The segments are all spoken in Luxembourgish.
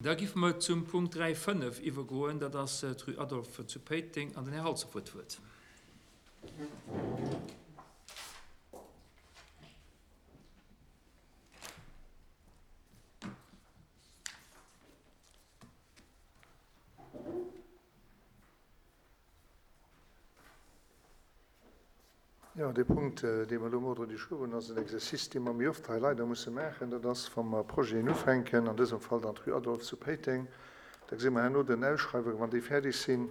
Da giffe mer zum Punkt 3, 5 iwwergoen. Dat ass d'Rue Adolphe zu Péiteng an den Här Halsdorf huet d'Wuert. Jo, dee Punkt, dee mer elo um Ordre du jour hunn, ass en Exercice, dee mer méi oft hei leider musse maachen. Dat ass, wa mer Projeten ufänken, an dësem Fall dann d'Rue Adolphe zu Péiteng, da gesi mer herno den Ausschreiwungen, wann déi fäerdeg sinn,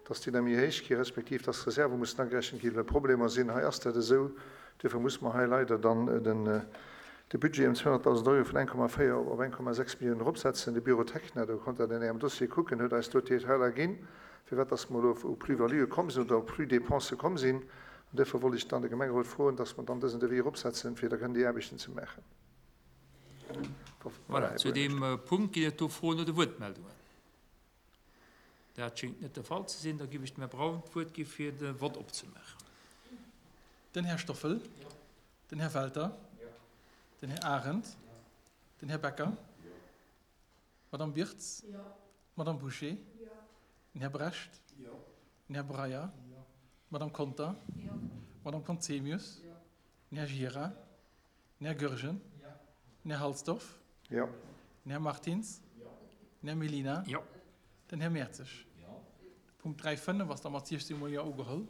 dass déi da méi héich gi respektiv dass Reserve mussen agerechent ginn, well Problemer sinn. Hei ass dat esou. Duerfir muss mer hei leider dann de Budget ëm 200.000 Euro vun 1,4 op 1,6 Milliounen eropsetzen. De Bureau Techna, do konnt Der an Ärem Dossier kucken, huet eis do d'Detailer ginn, firwat dass mer elo u Plus-valuë komm sinn oder op Plus-dépenses komm sinn. An duerfir wollt ech dann de Gemengerot froen, dass mer dann dësen Devis eropsetzen, fir da kënnen déi Aarbechten ze maachen. Voilà, zu deem Punkt ginn et do Froen oder Wuertmeldungen? Dat schéngt net de Fall ze sinn. Da géif ech dem Här Braun d'Wuert gi fir de Vott opzemaachen. Den Här Stoffel. Den Här Welter. Den Här Arendt. Den Här Becker. D'Madame Wirtz. D'Madame Bouché. Den Här Brecht. Den Här Breyer. D'Madame Conter. D'Madame Conzemius. Den Här Gira. Den Här Goergen. Den Här Halsdorf. Den Här Martins. Den Här Mellina. Den Här Mertzig. De Punkt 3, 5 ass da mat 16 mol Jo ugeholl.